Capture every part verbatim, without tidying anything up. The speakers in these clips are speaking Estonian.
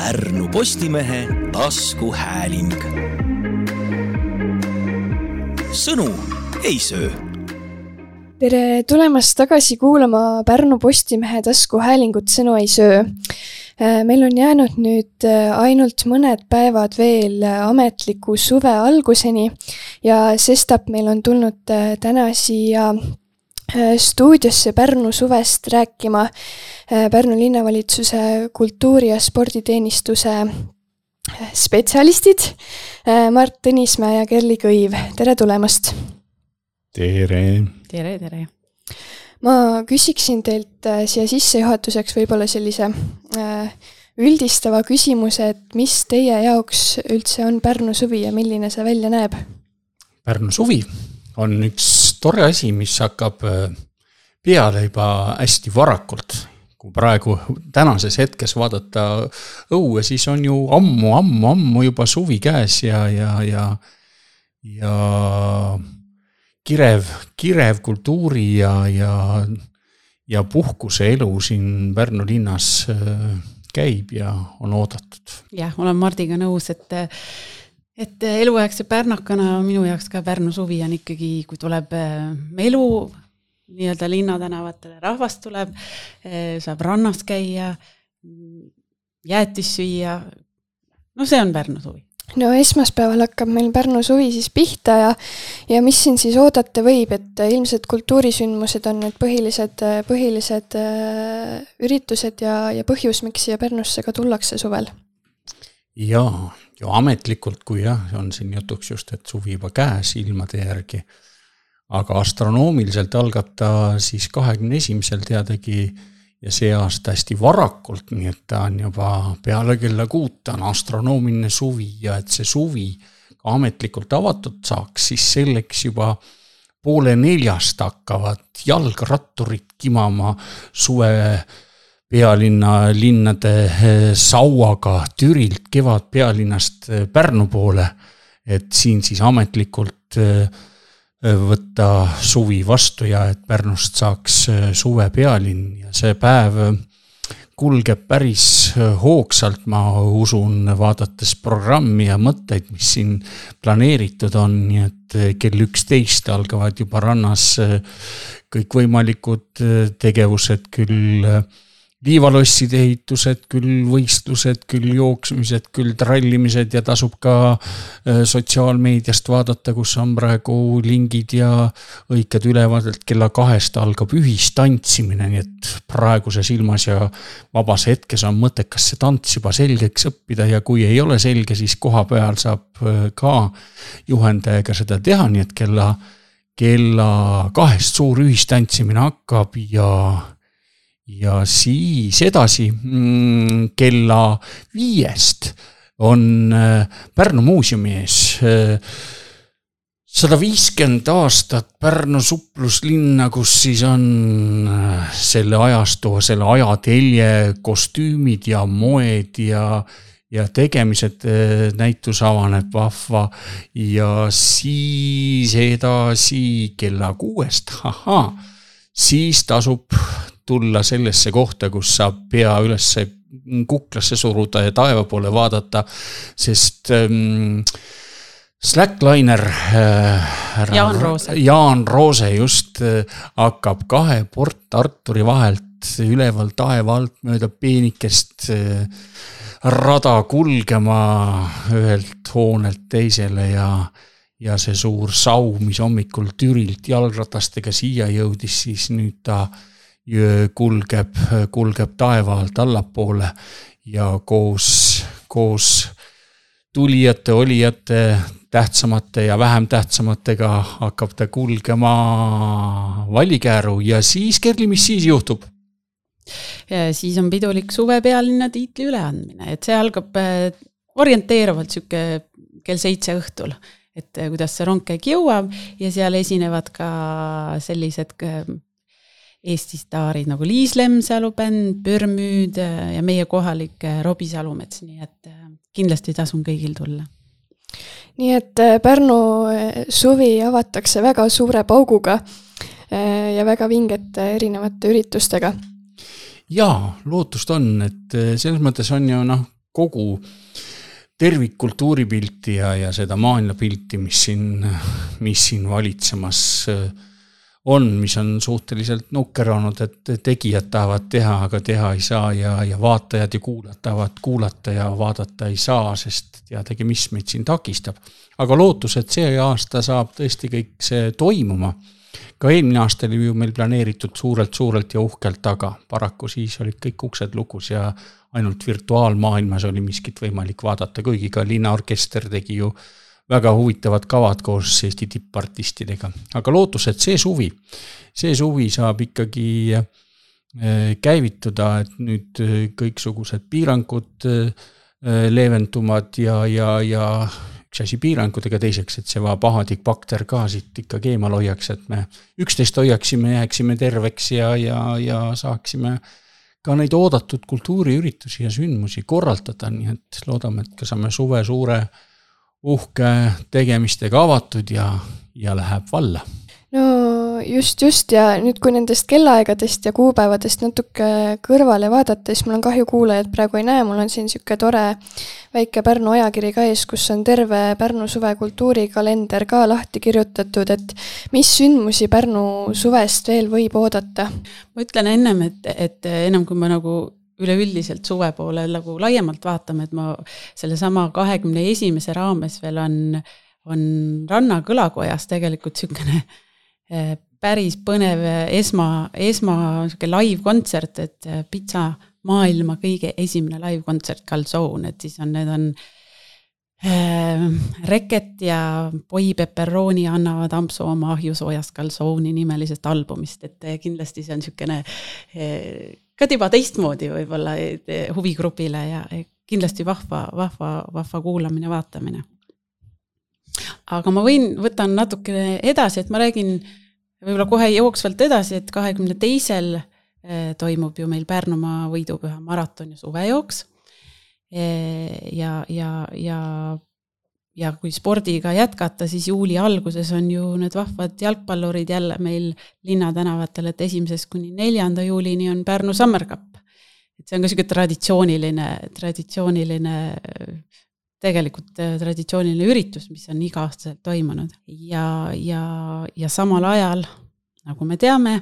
Pärnu Postimehe taskuhääling. Sõnu ei söö. Tere tulemast tagasi kuulama Pärnu Postimehe taskuhäälingut Sõnu ei söö. Meil on jäänud nüüd ainult mõned päevad veel ametliku suve alguseni ja sestap meil on tulnud täna siia stuudiosse Pärnu suvest rääkima Pärnu linnavalitsuse kultuuri- ja sporditeenistuse spetsialistid Mart Tõnismäe ja Kerli Kõiv. Tere tulemast! Tere! Tere, tere! Ma küsiksin teilt siia sissejuhatuseks võib-olla sellise üldistava küsimuse, et mis teie jaoks üldse on Pärnu suvi ja milline see välja näeb? Pärnu suvi on üks tore asi, mis hakkab peale juba hästi varakult. Kui praegu tänases hetkes vaadata õue, siis on ju ammu, ammu, ammu juba suvi käes ja, ja, ja, ja kirev, kirev kultuuri ja, ja, ja puhkuse elu siin Pärnu linnas käib ja on oodatud. Jah, olen Mardiga nõus, et, et eluaegse pärnakana minu jaoks ka Pärnu suvi on ikkagi, kui tuleb elu nii-öelda linnatänavatele, rahvast tuleb, saab rannas käia, jäätis süüa. No see on Pärnu suvi. No esmaspäeval hakkab meil Pärnu suvi siis pihta ja, ja mis siin siis oodata võib, et ilmselt kultuurisündmused on need põhilised, põhilised üritused ja, ja põhjus, miks siia Pärnusse ka tullakse suvel? Jaa, ju ametlikult, kui jah, on siin jutuks just, et suvi juba käes ilmade järgi, aga astronoomiliselt algab ta siis kahekümne esimesel teadagi ja see aasta hästi varakult, nii et ta on juba peale kella kuuta on astronoomiline suvi ja et see suvi ka ametlikult avatud saaks, siis selleks juba poole neljast hakkavad jalgratturid kimama suve pealinna linnade sauaga Türilt kevad pealinnast Pärnu poole, et siin siis ametlikult võtta suvi vastu ja et Pärnust saaks suve pealinn ja see päev kulgeb päris hoogsalt, ma usun, vaadates programmi ja mõtteid, mis siin planeeritud on, nii et kell üksteist algavad juba rannas kõik võimalikud tegevused, küll liivalosside ehitused, küll võistlused, küll jooksmised, küll trallimised ja tasub ka sotsiaalmeediast vaadata, kus on praegu lingid ja õiked ülevad, et kella kahest algab ühistantsimine, nii et praeguses ilmas ja vabas hetkes on mõttekas see tants juba selgeks õppida ja kui ei ole selge, siis koha peal saab ka juhendajaga seda teha, nii et kella, kella kahest suur ühistantsimine hakkab ja Ja siis edasi kella viiest on Pärnu muuseumi ees sada viiskümmend aastat Pärnu supluslinna, kus siis on selle ajastu, selle ajatelje, kostüümid ja moed ja, ja tegemised, näitus avaneb vahva ja siis edasi kella kuuest, haha, siis tasub tulla sellesse kohta, kus saab pea üles kuklasse suruda ja taeva poole vaadata, sest ähm, Slackliner äh, Jaan Roose. Jaan Roose just äh, hakkab kahe Port Arturi vahelt üleval taeva alt mööda peenikest äh, rada kulgema ühelt hoonelt teisele ja ja see suur sau, mis hommikul Türilt jalgratastega siia jõudis, siis nüüd ta kulgeb, kulgeb taeva alt allapoole ja koos, koos tulijate, olijate, tähtsamate ja vähem tähtsamatega hakkab ta kulgema Vallikääru ja siis, Kerli, mis siis juhtub? Ja siis on pidulik suve pealinna tiitli üleandmine, et see algab orienteeruvalt süke kell seitse õhtul, et kuidas see rong käik jõuab ja seal esinevad ka sellised Eesti staarid nagu Liis Lemsalu bänd, Pürmüüd ja meie kohalik Robi Salumets, nii et kindlasti tasun kõigil tulla. Nii et Pärnu suvi avatakse väga suure pauguga ja väga vingete erinevate üritustega. Jaa, lootust on, et selles mõttes on ju noh, kogu tervikkultuuripilti ja, ja seda maailmapilti, mis siin, mis siin valitsemas on, mis on suhteliselt nukker olnud, et tegijad tahavad teha, aga teha ei saa ja, ja vaatajad ja kuulajad tahavad kuulata ja vaadata ei saa, sest teadagi, mis meid siin takistab. Aga lootus, et see aasta saab tõesti kõik see toimuma. Ka eelmine aasta oli ju meil planeeritud suurelt-suurelt ja uhkelt taga. Paraku siis olid kõik uksed lukus ja ainult virtuaalmaailmas oli miskit võimalik vaadata, kuigi ka linnaorkester tegi ju väga huvitavad kavad koos Eesti tippartistidega. Aga lootus, et see suvi, see suvi saab ikkagi käivituda, et nüüd kõiksugused piirangud leeventumad ja, ja, ja üks asi piirangudega teiseks, et see va pahadik bakter ka siit ikka keemal hoiaks, et me üksteist hoiaksime, jääksime terveks ja, ja, ja saaksime ka neid oodatud kultuuriüritusi ja sündmusi korraldada, nii et loodame, et ka saame suve suure uhke tegemistega avatud ja, ja läheb valla. No just, just ja nüüd kui nendest kellaaegadest ja kuupäevadest natuke kõrvale vaadata, siis mul on kahju kuulajad praegu ei näe, mul on siin siuke tore väike Pärnu ajakiri ka ees, kus on terve Pärnu suve kultuurikalender ka lahti kirjutatud, et mis sündmusi Pärnu suvest veel võib oodata? Ma ütlen ennem, et, et ennem kui ma nagu üleüldiselt suve poole nagu laiemalt vaatame, et ma selle sama kahekümne esimese raames veel on, on Ranna kõlakojas tegelikult sükene päris põnev esma, esma live-kontsert, et Pitsa maailma kõige esimene live-kontsert Calzone, et siis on, need on äh, Reket ja Poi Pepperoni annavad ampsu oma ahjusoojast Calzone'i nimelisest albumist, et kindlasti see on sükene äh, ka tiba teistmoodi võib-olla huvigrupile ja kindlasti vahva, vahva, vahva kuulamine, vaatamine. Aga ma võin, võtan natuke edasi, et ma räägin võib-olla kohe jooksvalt edasi, et kahekümne teisel toimub ju meil Pärnumaa võidupüha maraton ja suvejooks. Ja, ja, ja, ja kui spordiga jätkata, siis juuli alguses on ju need vahvad jalgpallurid jälle meil linnatänavatel, et esimesest kuni neljanda juulini on Pärnu Summer Cup. Et see on ka selline traditsiooniline, traditsiooniline tegelikult traditsiooniline üritus, mis on iga-aastaselt toimunud. Ja, ja, ja samal ajal, nagu me teame,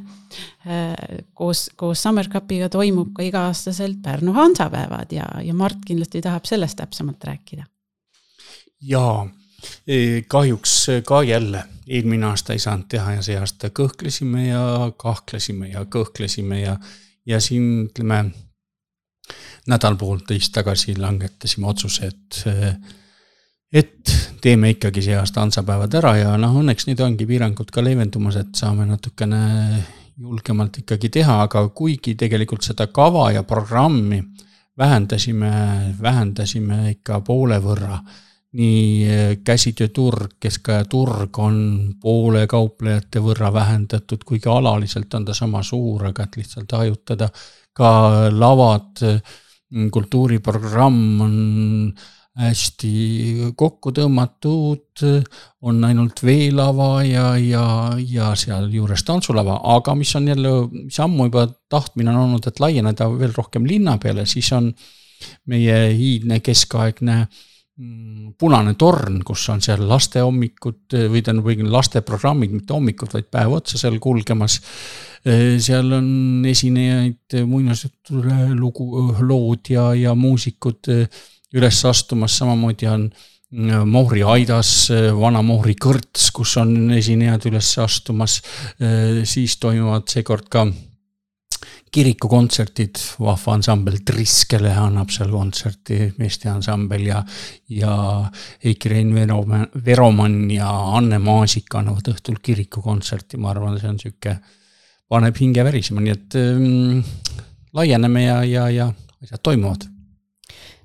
koos, koos Summer Cupiga toimub ka iga-aastaselt Pärnu Hansapäevad ja, ja Mart kindlasti tahab sellest täpsemalt rääkida. Jaa, kahjuks ka jälle eelmine aasta ei saanud teha ja see aasta kõhklesime ja kahklesime ja kõhklesime ja, ja siin ütleme nädal poolteist tagasi langetasime otsuse, et, et teeme ikkagi see aasta Hansapäevad ära ja noh, õnneks nüüd ongi piirangud ka leevendumas, et saame natukene julgemalt ikkagi teha, aga kuigi tegelikult seda kava ja programmi vähendasime, vähendasime ikka poole võrra, nii käsitööturg, keskajaturg on poole kauplejate võrra vähendatud, kuigi alaliselt on ta sama suur, aga et lihtsalt hajutada ka lavad, kultuuriprogramm on hästi kokku tõmmatud, on ainult veelava ja, ja, ja seal juures tantsulava, aga mis on jälle, mis ammu juba tahtmine on olnud, et laieneda veel rohkem linna peale, siis on meie hiidne keskaegne punane torn, kus on seal laste hommikud või ta on laste programmid, mitte hommikud, vaid päev otsa seal kulgemas. Seal on esinejaid muinasjutule lugu, lood ja, ja muusikud üles astumas, samamoodi on Mohri Aidas, vana Mohri Kõrts, kus on esinejad üles astumas, siis toimuvad seekord ka kirikukontserdid, vahva ansambel Triskele annab seal kontserti, meeste ansambel ja, ja Heiki Rein Veroman ja Anne Maasik annavad õhtul kirikukontserti, ma arvan, see on süke, paneb hinge värisema, nii et ähm, laieneme ja, ja, ja asjad toimuvad.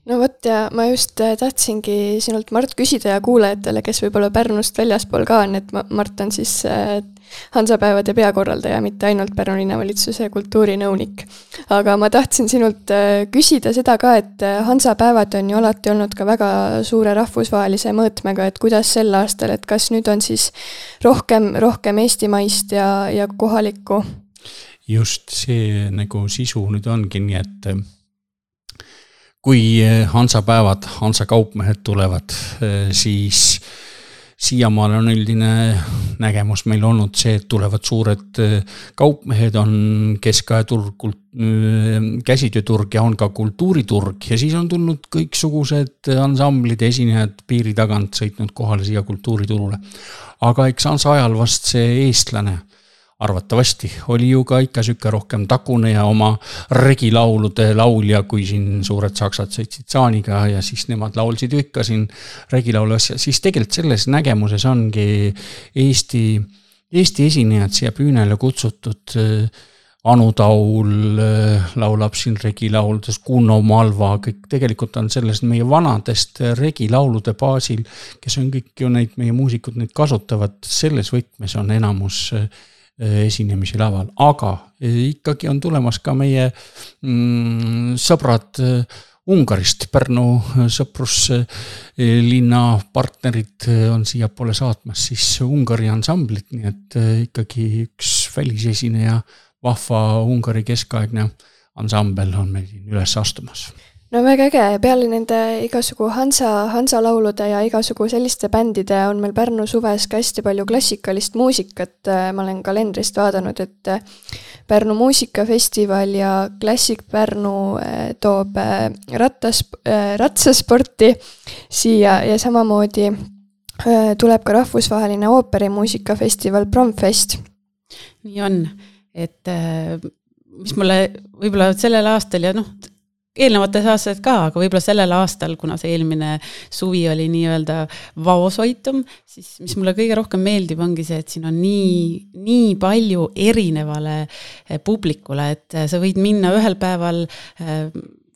No võt ja ma just tahtsingi sinult Mart küsida ja kuulajatele, kes võib-olla Pärnust väljaspool ka on, et Mart on siis Hansapäevade peakorraldaja, mitte ainult Pärnu linnavalitsuse kultuurinõunik. Aga ma tahtsin sinult küsida seda ka, et Hansapäevad on ju alati olnud ka väga suure rahvusvahelise mõõtmega, et kuidas sel aastal, et kas nüüd on siis rohkem, rohkem eestimaist ja, ja kohalikku? Just see nagu sisu nüüd ongi nii, et kui Hansapäevad, Hansa kaupmehed tulevad, siis siiamaale on üldine nägemus meil olnud see, et tulevad suured kaupmehed, on keskajaturg, käsitööturg ja on ka kultuuriturg ja siis on tulnud kõiksugused ansamblid, esinejad piiri tagant sõitnud kohale siia kultuuriturule. Aga eks Hansa ajal vast see eestlane arvatavasti oli ju ka ikka sükke rohkem takune ja oma regilaulude laulja, kui siin suured saksad sõitsid saaniga ja siis nemad laulsid ju ikka siin regilaulu asja. Siis tegelikult selles nägemuses ongi Eesti, Eesti esinejad siia püünele kutsutud. Anu Taul laulab siin regilauludes, Kuno Malva, kõik tegelikult on sellest meie vanadest regilaulude baasil, kes on kõik ju neid meie muusikud neid kasutavad, selles võtmes on enamus esinemisi laval, aga ikkagi on tulemas ka meie mm, sõbrad Ungarist, Pärnu sõpruslinna partnerid on siia poole saatmas siis Ungari ansamblit, nii et ikkagi üks välisesineja, vahva Ungari keskaegne ansambel on meil siin üles astumas. No väga äge, peale nende igasugu Hansa, Hansa laulude ja igasugu selliste bändide on meil Pärnu suves ka hästi palju klassikalist muusikat. Ma olen kalendrist vaadanud, et Pärnu muusikafestival ja Klassik Pärnu toob rattas, ratsasporti siia ja samamoodi tuleb ka rahvusvaheline ooperimuusikafestival Promfest. Nii on, et mis mulle võib-olla sellel aastal ja noh, eelnevates aastaid ka, aga võib-olla sellel aastal, kuna see eelmine suvi oli nii-öelda vaosoitum, siis mis mulle kõige rohkem meeldib ongi see, et siin on nii, nii palju erinevale publikule, et sa võid minna ühel päeval,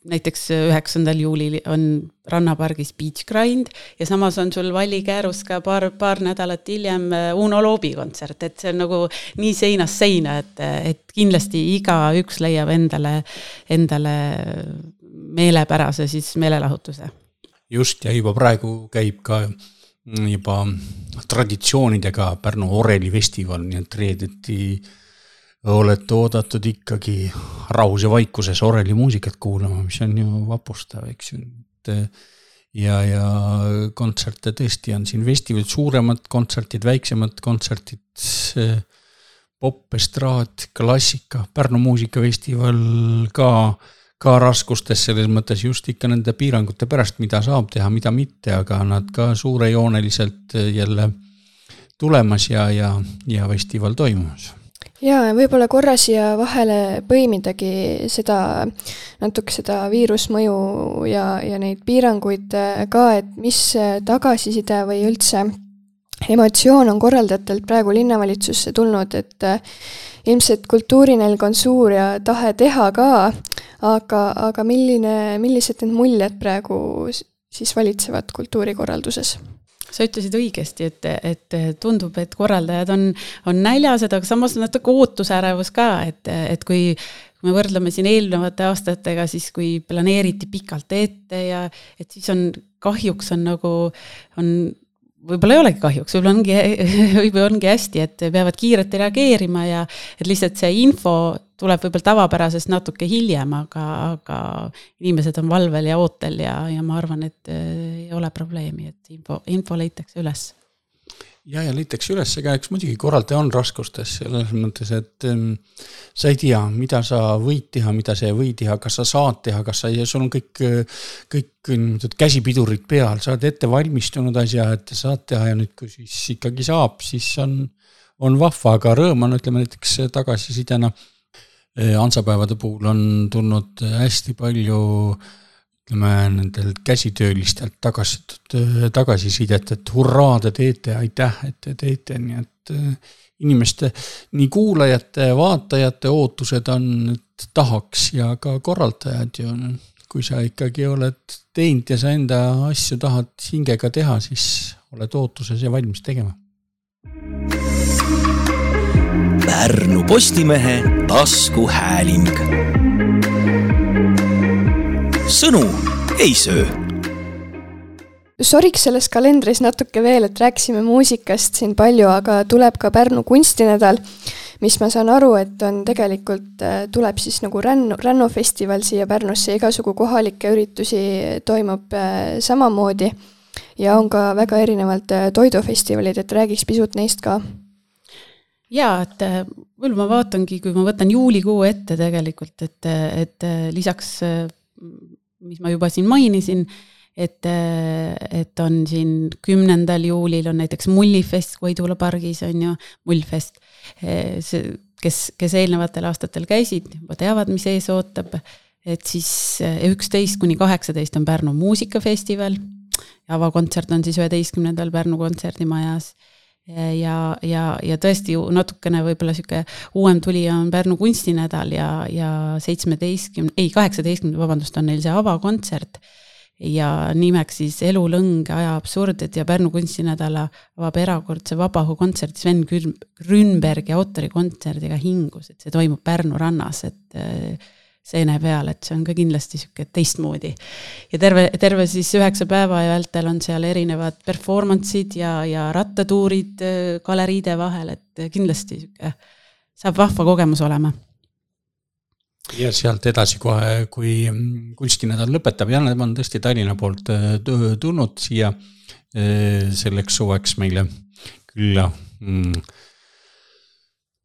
näiteks üheksandal juulil on Rannapargis Beach Grind ja samas on sul Valli Käärus ka paar, paar nädalat hiljem Uno Loobi kontsert, et see on nagu nii seinas seina, et, et kindlasti iga üks leiab endale, endale meelepärase siis meelelahutuse. Just, ja juba praegu käib ka juba traditsioonidega Pärnu Oreli festival, nii et reedeti olete oodatud ikkagi rahus ja vaikuses Oreli muusikat kuulama, mis on ju vapustav, eks ju. Ja, ja kontserte tõesti on siin festival, suuremad kontsertid, väiksemad kontsertid, pop, estraad, klassika, Pärnu muusikafestival ka, ka raskustes selles mõttes just ikka nende piirangute pärast, mida saab teha, mida mitte, aga nad ka suurejooneliselt jälle tulemas ja, ja, ja festival toimumas. Jaa, võib-olla korra siia vahele põimidagi seda, natuke seda viirusmõju ja, ja neid piiranguid ka, et mis tagasiside või üldse emotsioon on korraldajatelt praegu linnavalitsusse tulnud, et ilmselt kultuurinelg on suur ja tahe teha ka, aga, aga milline, millised need muljed praegu siis valitsevad kultuurikorralduses? Sa ütlesid õigesti, et, et tundub, et korraldajad on, on näljased, aga samas natuke ootusärevus ka, et, et kui me võrdleme siin eelnevate aastatega, siis kui planeeriti pikalt ette ja et siis on kahjuks on nagu, on, võib-olla ei olegi kahjuks, võib-olla ongi, võib-olla ongi hästi, et peavad kiirelt reageerima ja et lihtsalt see info tuleb võib-olla tavapärasest natuke hiljem, aga, aga inimesed on valvel ja ootel ja, ja ma arvan, et ei ole probleemi, et info, info leitakse üles. Ja, ja leitakse üles, ega eks muidugi korraldaja on raskustes selles mõttes, et ähm, sa ei tea, mida sa võid teha, mida sa ei või teha, kas sa saad teha, kas sa, ja sul on kõik, kõik käsipidurid peal, sa oled ette valmistunud asja, et saad teha ja nüüd, kui siis ikkagi saab, siis on, on vahva, aga rõõm on, ütleme näiteks tagasisidena Hansapäevade puhul on tulnud hästi palju ütleme, nendel käsitöölistelt tagasitud, tagasisidet, et hurraa te teete, aitäh, et te teete, nii et inimeste, nii kuulajate, vaatajate ootused on, et tahaks ja ka korraldajad ju, kui sa ikkagi oled teinud ja sa enda asju tahad hingega teha, siis oled ootuses ja valmis tegema. Pärnu Postimehe taskuhääling. Sõnu ei söö. Soriks selles kalendris natuke veel, et rääksime muusikast siin palju, aga tuleb ka Pärnu kunstinädal, mis ma saan aru, et on tegelikult, tuleb siis nagu rännu, rännufestival siia Pärnusse, igasugu kohalikke üritusi toimub samamoodi ja on ka väga erinevalt toidufestivalid, et räägiks pisut neist ka. Jaa, et võib ma vaatangi, kui ma võtan juulikuu ette tegelikult, et, et lisaks, mis ma juba siin mainisin, et, et on siin kümnendal juulil on näiteks Mullifest Koidula pargis, on ju, Mullfest, see, kes, kes eelnevatel aastatel käisid, juba teavad, mis ees ootab, et siis üksteist kuni kaheksateist on Pärnu muusikafestival, avakontsert on siis üheteistkümnendal Pärnu kontserdimajas, ja, ja, ja tõesti natukene võib-olla siuke uuem tulija on Pärnu kunstinädal ja, ja seitsmeteistkümne, ei, kaheksateistkümne, vabandust, on neil see avakontsert ja nimeks siis Elulõng, aja absurdid ja Pärnu kunstinädala avab erakordse vabahu kontsert Sven Grünbergi autorikontserdiga Hingus, et see toimub Pärnu rannas, et seene peal, et see on ka kindlasti siuke teistmoodi. Ja terve, terve siis üheksa päeva ja vältel on seal erinevad performance'id ja, ja rattatuurid galeriide vahel, et kindlasti siuke saab vahva kogemus olema. Ja sealt edasi kohe, kui kunstinädal lõpetab, ja nad on tõesti Tallinna poolt tulnud siia selleks suveks meile külla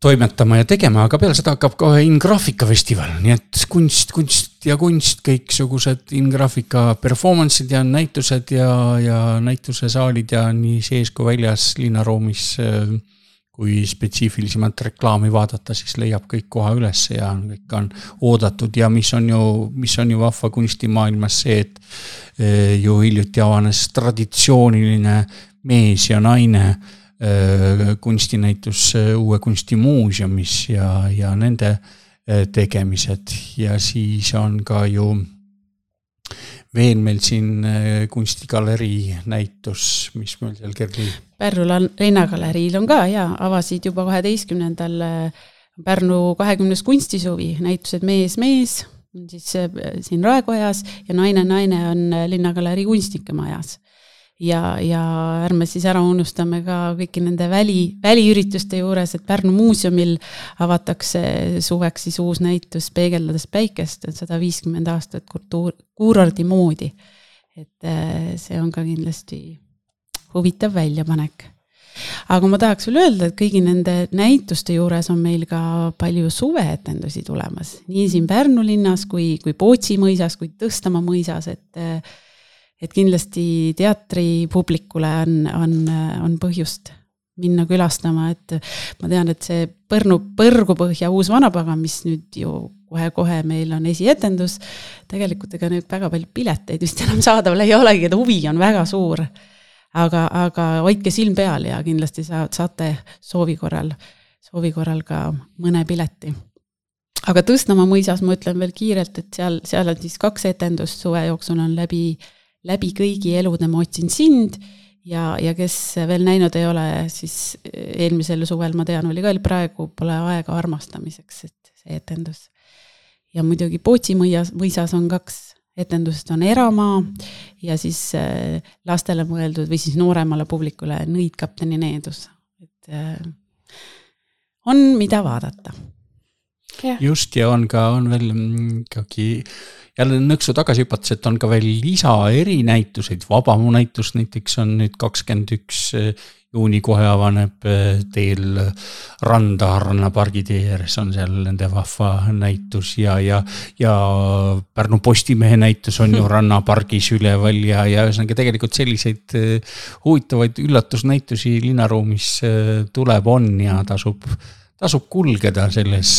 toimetama ja tegema, aga peale seda hakkab kohe In-Graafika festival, nii et kunst, kunst ja kunst, kõiksugused In-Graafika performance'id ja näitused ja, ja näitusesaalid ja nii sees kui väljas linnaruumis, kui spetsiifilisemalt reklaami vaadata, siis leiab kõik koha üles ja kõik on oodatud ja mis on ju, mis on ju vahva kunstimaailmas see, et ju hiljuti avanes traditsiooniline mees ja naine kunstinäitus uue kunstimuuseumis ja, ja nende tegemised ja siis on ka ju veel meil siin kunstigalerii näitus, mis meil seal kergi. Pärnu Linnagaleriil on ka ja avasid juba kaheteistkümnendal Pärnu kahekümnes kunstisuvi, näitused mees, mees, siis siin Raekojas ja naine, naine on Linnagalerii kunstnikemajas. Ja, ja ärme siis ära unustame ka kõiki nende väli, väliürituste juures, et Pärnu muuseumil avatakse suveks siis uus näitus Peegeldades päikest, et sada viiskümmend aastat kultuur, kuurordi moodi. Et see on ka kindlasti huvitav väljapanek. Aga ma tahaks veel öelda, et kõigi nende näituste juures on meil ka palju suveetendusi tulemas. Nii siin Pärnu linnas kui, kui Pootsi mõisas, kui Tõstamaa mõisas, et et kindlasti teatri publikule on, on, on põhjust minna külastama, et ma tean, et see Põrnu Põrgupõhja uus vanapaga, mis nüüd ju kohe-kohe meil on esietendus, tegelikult ega nüüd väga palju pileteid vist enam saadaval ei olegi, et huvi on väga suur, aga, aga hoidke silm peal ja kindlasti saate soovi korral, soovi korral ka mõne pileti. Aga Tõstamaa mõisas ma ütlen veel kiirelt, et seal, seal on siis kaks etendust suve jooksul on läbi läbi kõigi elude ma otsin sind ja, ja kes veel näinud ei ole, siis eelmisel suvel ma tean, oli ka praegu pole aega armastamiseks, et see etendus. Ja muidugi Pootsi mõisas, mõisas on kaks etendust, on Eramaa ja siis lastele mõeldud või siis nooremale publikule Nõidkapteni needus. Et on mida vaadata. Ja. Just ja on ka, on veel ikkagi jälle nõksu tagasi hüpates, et on ka veel lisa erinäituseid, Vabamu näitus näiteks on nüüd kakskümmend üks juuni kohe avaneb teel Randa Ranna pargi tee ääres on seal nende vahva näitus ja, ja, ja Pärnu Postimehe näitus on ju Ranna pargis üleval ja, ja ühesõnaga tegelikult selliseid huvitavaid üllatusnäitusi linnaruumis tuleb on ja tasub tasub kulgeda selles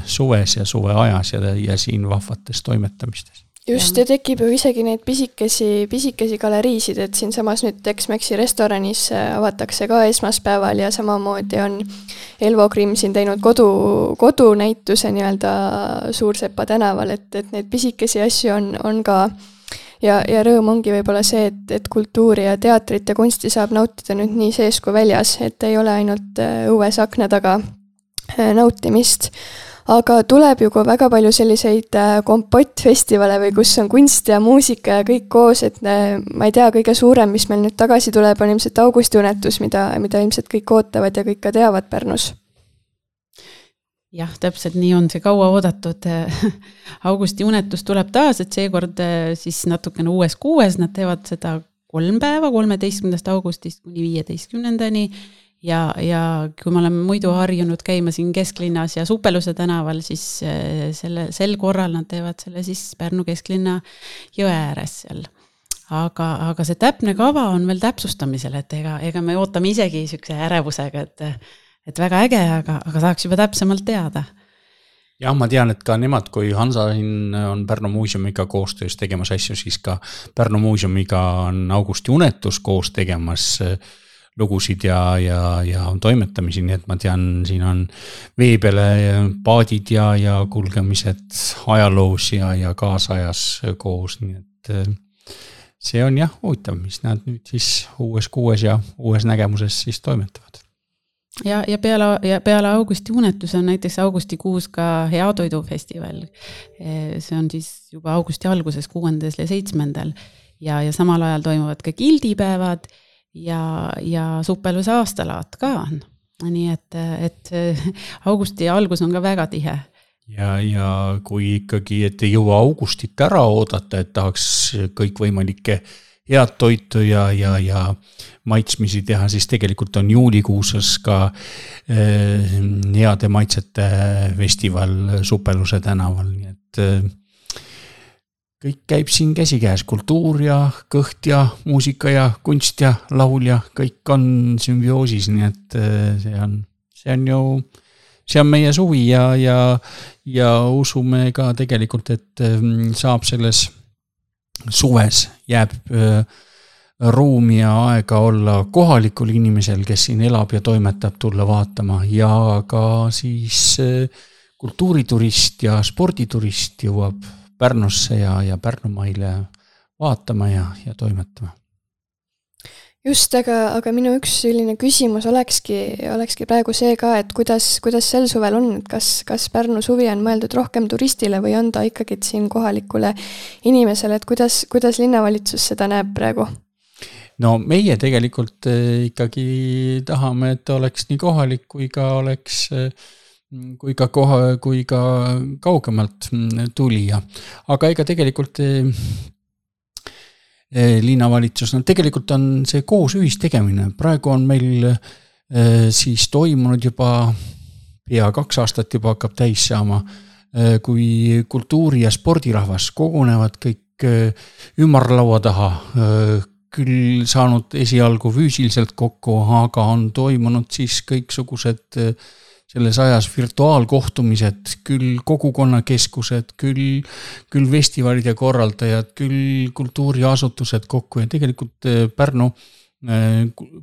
suves ja suve ajas ja, ja siin vahvates toimetamistes. Just, ja tekib ju isegi neid pisikesi, pisikesi galeriisid, et siin samas nüüd Tex-Mexi restoranis avatakse ka esmaspäeval ja samamoodi on Elvo Grimm siin teinud kodu, kodunäituse nii-öelda Suursepa tänaval, et, et neid pisikesi asju on, on ka ja, ja rõõm ongi võib-olla see, et, et kultuuri ja teatrit ja kunsti saab nautida nüüd nii sees kui väljas, et ei ole ainult õues akna taga nautimist. Aga tuleb ju ka väga palju selliseid kompottfestivale või kus on kunst ja muusika ja kõik koos, et ma ei tea, kõige suurem, mis meil nüüd tagasi tuleb, on ilmselt augustiunetus, mida, mida ilmselt kõik ootavad ja kõik ka teavad Pärnus. jah, täpselt nii on see kaua oodatud augusti unetus tuleb taas, et seekord siis natukene uues kuues, nad teevad seda kolm päeva, kolmeteistkümnendast augustist kuni viieteistkümnendani ja, ja kui me oleme muidu harjunud käima siin kesklinnas ja Supeluse tänaval, siis selle, sel korral nad teevad selle siis Pärnu kesklinna jõe ääres seal. Aga, aga see täpne kava on veel täpsustamisel, et ega, ega me ootame isegi sükse ärevusega, et et väga äge, aga, aga saaks juba täpsemalt teada. Jah, ma tean, et ka nemad, kui Hansa on Pärnu muuseumiga koostöös tegemas asju, siis ka Pärnu muuseumiga on augusti unetus koos tegemas lugusid ja, ja, ja toimetamisi, nii et ma tean, siin on veebele paadid ja, ja kulgemised ajaloos ja, ja kaasajas koos, nii et see on jah huvitav, mis nad nüüd siis uues kuues ja uues nägemuses siis toimetavad. Ja, ja, peale, ja peale augusti unetus on näiteks augustikuus ka Heatoidufestival. See on siis juba augusti alguses kuuendal ja seitsmendal ja, ja samal ajal toimuvad ka gildipäevad ja, ja Supeluse aastalaat ka on. Nii et, et augusti algus on ka väga tihe. Ja, ja kui ikkagi, et ei jõua augustit ära oodata, et tahaks kõik võimalikke head toitu ja, ja, ja maitsmisi teha, siis tegelikult on juulikuuses ka eh, heade maitsete festival Supeluse tänaval, nii et eh, kõik käib siin käsikäes, kultuur ja kõht ja muusika ja kunst ja laul ja kõik on sümbioosis, nii et eh, see on, see on ju, see on meie suvi ja, ja, ja usume ka tegelikult, et eh, saab selles suves jääb äh, ruumi ja aega olla kohalikul inimesel, kes siin elab ja toimetab, tulla vaatama ja ka siis äh, kultuuriturist ja sporditurist jõuab Pärnusse ja, ja Pärnumaile vaatama ja, ja toimetama. Just, aga, aga minu üks selline küsimus olekski, olekski praegu see ka, et kuidas, kuidas sel suvel on, et kas, kas Pärnu suvi on mõeldud rohkem turistile või on ta ikkagi siin kohalikule inimesele, et kuidas, kuidas linnavalitsus seda näeb praegu? No meie tegelikult ikkagi tahame, et oleks nii kohalik kui ka oleks kui ka, koha, kui ka kaugemalt tulija. Aga ega tegelikult linnavalitsus, no tegelikult on see koos ühistegemine. Praegu on meil äh, siis toimunud juba pea kaks aastat juba hakkab täis saama, äh, kui kultuuri- ja spordirahvas kogunevad kõik äh, ümarlaua taha, äh, küll saanud esialgu füüsiliselt kokku, aga on toimunud siis kõiksugused äh, selles ajas virtuaalkohtumised, küll kogukonnakeskused, küll, küll festivalide korraldajad, küll kultuuriasutused kokku ja tegelikult Pärnu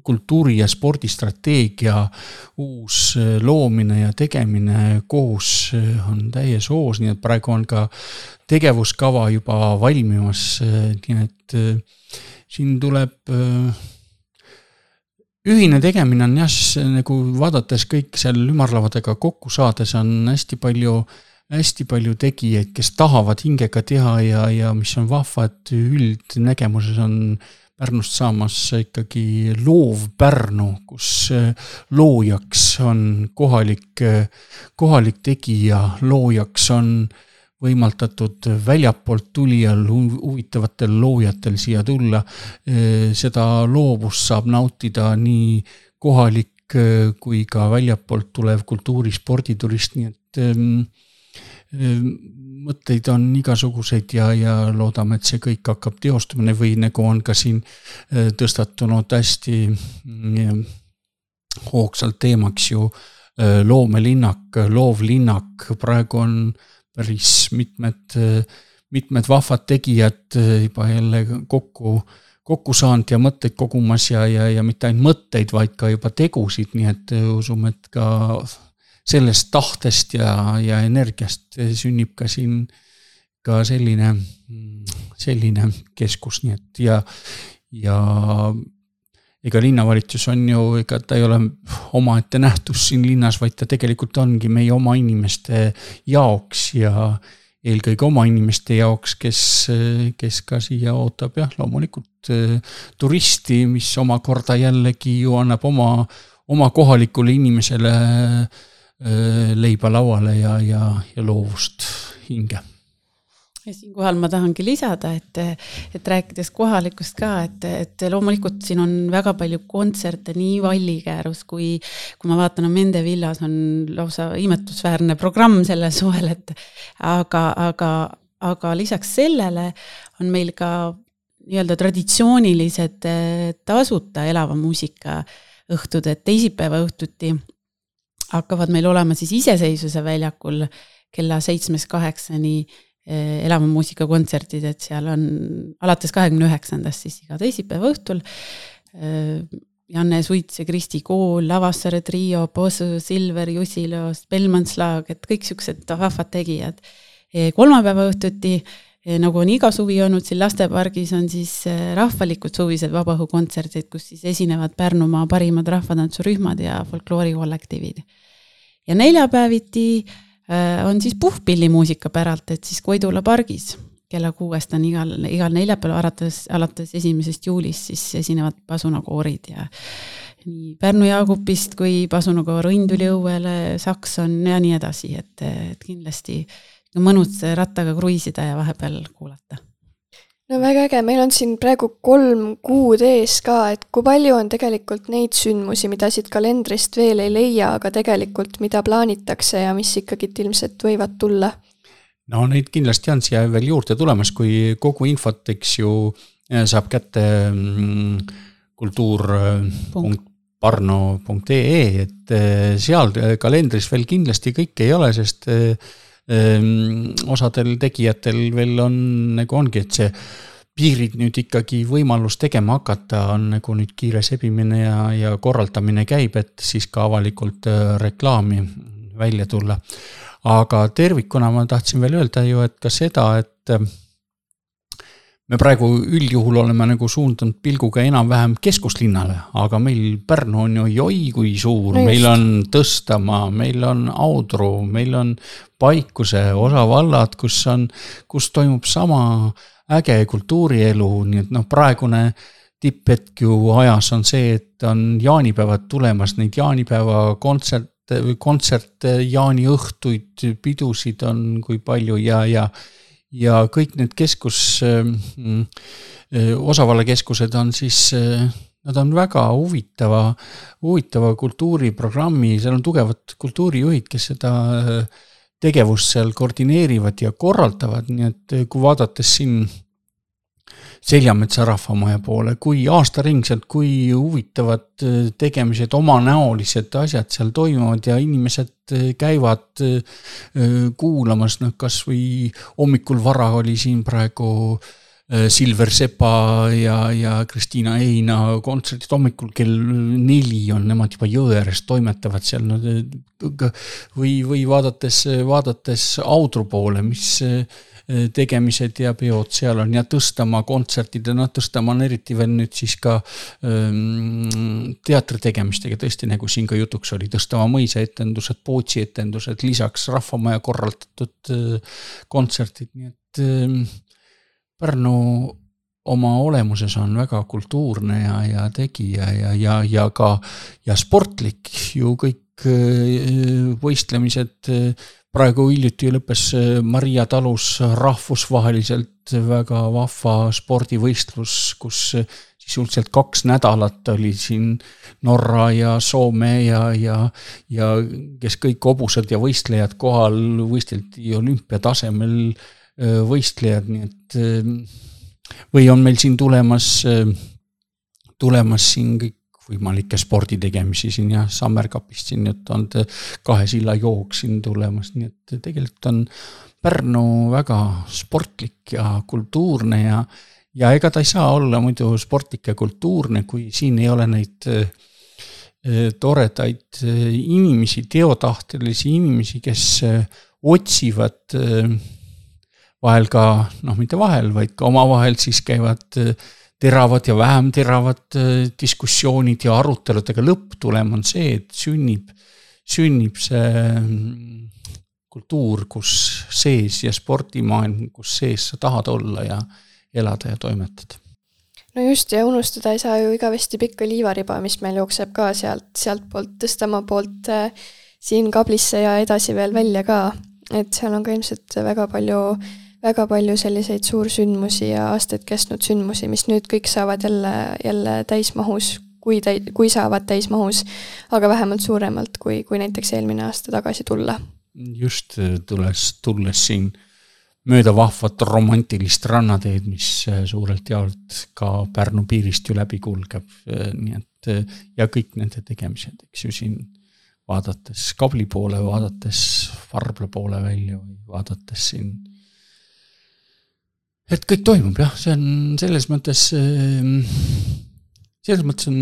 kultuuri- ja spordistrateegia uus loomine ja tegemine koos on täies hoos, nii et praegu on ka tegevuskava juba valmimas, nii et siin tuleb ühine tegemine on jah, nagu vaadates kõik seal ümarlavadega kokku saades on hästi palju, hästi palju tegijaid, kes tahavad hingega teha ja, ja mis on vahva, et üldnägemuses on Pärnust saamas ikkagi loov Pärnu, kus loojaks on kohalik, kohalik tegija, loojaks on võimaldatud väljapoolt tulijal huvitavatel loojatel siia tulla. Seda loovust saab nautida nii kohalik kui ka väljapoolt tulev kultuuri- sporditurist, nii et mõtteid on igasuguseid ja, ja loodame, et see kõik hakkab teostumine või nagu on ka siin tõstatunud hästi hoogsalt teemaks ju loomelinnak, loovlinnak, praegu on päris mitmed, mitmed vahvad tegijad juba jälle kokku, kokku saanud ja mõtteid kogumas ja, ja, ja mitte ainult mõtteid, vaid ka juba tegusid, nii et usume, et ka sellest tahtest ja, ja energiast sünnib ka siin ka selline, selline keskus, nii et ja, ja ega linnavalitsus on ju, ega ta ei ole omaette nähtus siin linnas, vaid ta tegelikult ongi meie oma inimeste jaoks ja eelkõige oma inimeste jaoks, kes, kes ka siia ootab jah, loomulikult turisti, mis omakorda jällegi ju annab oma, oma kohalikule inimesele leiba lauale ja, ja, ja loovust hinge. Ja siinkohal ma tahangi lisada, et, et rääkides kohalikust ka, et, et loomulikult siin on väga palju kontserte nii Vallikäärus, kui, kui ma vaatan, Mende villas on lausa imetusväärne programm selle suvel, et aga, aga, aga lisaks sellele on meil ka nii-öelda traditsioonilised tasuta elava muusika õhtud, et teisipäeva õhtuti hakkavad meil olema siis iseseisvuse väljakul kella seitsmest kaheksani elava muusika kontserdid, et seal on alates kahekümne üheksandast siis iga teisipäeva õhtul Janne Suits ja Kristi Kool, Lavassaare trio, Posu, Silver, Jusilo, Spellmanslag, et kõik siuksed vahvad tegijad. Kolmapäeva õhtuti, nagu on iga suvi olnud, siin Lastepargis on siis rahvalikud suvised vabaõhukontserdid, kus siis esinevad Pärnumaa parimad rahvatantsurühmad ja folkloorikollektiivid. Ja neljapäeviti on siis puhpillimuusika päralt, et siis Koidula pargis kella kuuest on igal, igal neljapäeval alates, alates esimesest juulist siis esinevad pasunakoorid ja nii Pärnu Jaagupist kui pasunakoor Õnduli õuele, Sakson ja nii edasi, et, et kindlasti mõnus rattaga kruiisida ja vahepeal kuulata. No väga äge, meil on siin praegu kolm kuud ees ka, et kui palju on tegelikult neid sündmusi, mida siit kalendrist veel ei leia, aga tegelikult mida plaanitakse ja mis ikkagi ilmselt võivad tulla? No neid kindlasti on siia veel juurde tulemas, kui kogu infot, eks ju, saab kätte kultuur punkt parno punkt ee, et seal kalendris veel kindlasti kõik ei ole, sest osadel tegijatel veel on, nagu ongi, et see piirid nüüd ikkagi võimalus tegema hakata on nagu nüüd kiire sebimine ja, ja korraldamine käib, et siis ka avalikult reklaami välja tulla. Aga tervikuna ma tahtsin veel öelda ju, et ka seda, et me praegu üldjuhul oleme nagu suundunud pilguga enam-vähem keskuslinnale, aga meil Pärnu on ju joi kui suur, no meil on Tõstamaa, meil on Audru, meil on Paikuse osavallad, kus, on, kus toimub sama äge kultuurielu, nii et noh, praegune tipphetk ju ajas on see, et on jaanipäevad tulemas, neid jaanipäeva kontsert, kontsert jaaniõhtuid, pidusid on kui palju ja, ja ja kõik need keskus, osavallakeskused on siis, nad on väga huvitava, huvitava kultuuriprogrammi, seal on tugevad kultuurijuhid, kes seda tegevust seal koordineerivad ja korraldavad, nii et kui vaadates siin Seljametsa rahvamaja poole, kui aastaringselt, kui huvitavad tegemised, omanäolised asjad seal toimuvad ja inimesed käivad kuulamas, noh, kas või hommikul vara oli siin praegu Silver Sepa ja, ja Kristiina Eina kontserdid, hommikul kell neli on nemad juba Jõeres toimetavad seal no, või, või vaadates, vaadates Audru poole, mis tegemised ja peod seal on ja Tõstamaa kontserdid ja Tõstamaa on eriti veel nüüd siis ka ähm, teatri tegemistega tõesti nagu siin ka jutuks oli Tõstamaa mõisa etendused, Pootsi etendused, lisaks rahvamaja korraldatud äh, kontserdid, nii et äh, Pärnu oma olemuses on väga kultuurne ja, ja tegija ja, ja, ja ka ja sportlik ju kõik äh, võistlemised äh, praegu hiljuti lõppes Maria talus rahvusvaheliselt väga vahva spordivõistlus, kus sisuliselt kaks nädalat oli siin Norra ja Soome ja, ja, ja kes kõik hobused ja võistlejad kohal võisteldi olümpiatasemel võistlejad, nii et või on meil siin tulemas, tulemas siin kõik võimalikke sporditegemisi siin ja Sammerkapist siin nüüd on kahe silla jook siin tulemas, nii et tegelikult on Pärnu väga sportlik ja kultuurne ja, ja ega ta ei saa olla muidu sportlik ja kultuurne, kui siin ei ole neid toredaid inimesi, teotahtelisi inimesi, kes otsivad vahel ka, noh mitte vahel, vaid ka omavahel siis käivad teravad ja vähem teravad diskussioonid ja arutelud, aga lõpptulem on see, et sünnib, sünnib see kultuur, kus sees ja spordimaailm, kus sees sa tahad olla ja elada ja toimetada. No just, ja unustada ei saa ju igavesti pikka liivariba, mis meil jookseb ka sealt, sealt poolt Tõstamaa poolt siin Kablisse ja edasi veel välja ka, et seal on ka ilmselt väga palju, väga palju selliseid suursündmusi ja aastaid kestnud sündmusi, mis nüüd kõik saavad jälle, jälle täismahus, kui, täi, kui saavad täismahus, aga vähemalt suuremalt, kui, kui näiteks eelmine aasta tagasi tulla. Just tulles, tulles siin mööda vahvat romantilist rannateed, mis suurelt jaolt ka Pärnu piirist ju läbi kulgeb, nii et ja kõik nende tegemised, eks ju siin vaadates Kabli poole, vaadates Varbla poole välja või vaadates siin, et kõik toimub, jah, see on selles mõttes, selles mõttes on,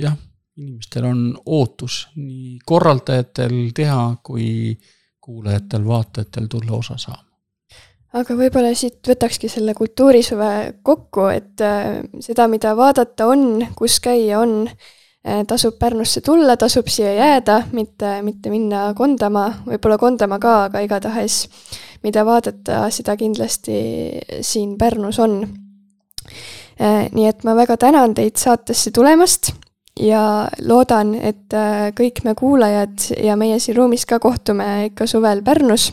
jah, inimestel on ootus nii korraldajatel teha, kui kuulajatel, vaatajatel tulla osa saama. Aga võib-olla siit võtakski selle kultuurisuve kokku, et seda, mida vaadata on, kus käia on, tasub Pärnusse tulla, tasub siia jääda, mitte, mitte minna Kondama, võib-olla Kondama ka, aga igatahes, mida vaadata, seda kindlasti siin Pärnus on. Nii et ma väga tänan teid saatesse tulemast ja loodan, et kõik me kuulajad ja meie siin ruumis ka kohtume ikka suvel Pärnus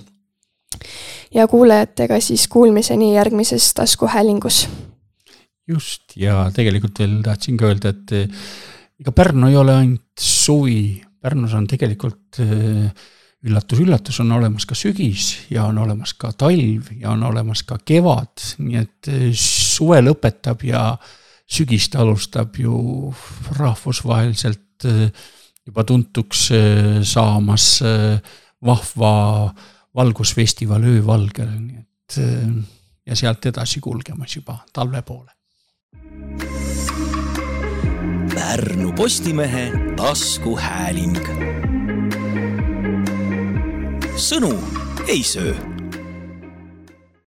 ja kuulajatega siis kuulmiseni järgmises taskuhäälingus. Just, ja tegelikult veel tahtsin ka öelda, et ega Pärnu ei ole ainult suvi, Pärnus on tegelikult üllatus, üllatus on olemas ka sügis ja on olemas ka talv ja on olemas ka kevad, nii et suve lõpetab ja sügist alustab ju rahvusvaheliselt juba tuntuks saamas vahva valgusfestival öövalgel, nii et ja sealt edasi kulgemas juba talve poole. Pärnu Postimehe taskuhääling. Sõnu ei söö.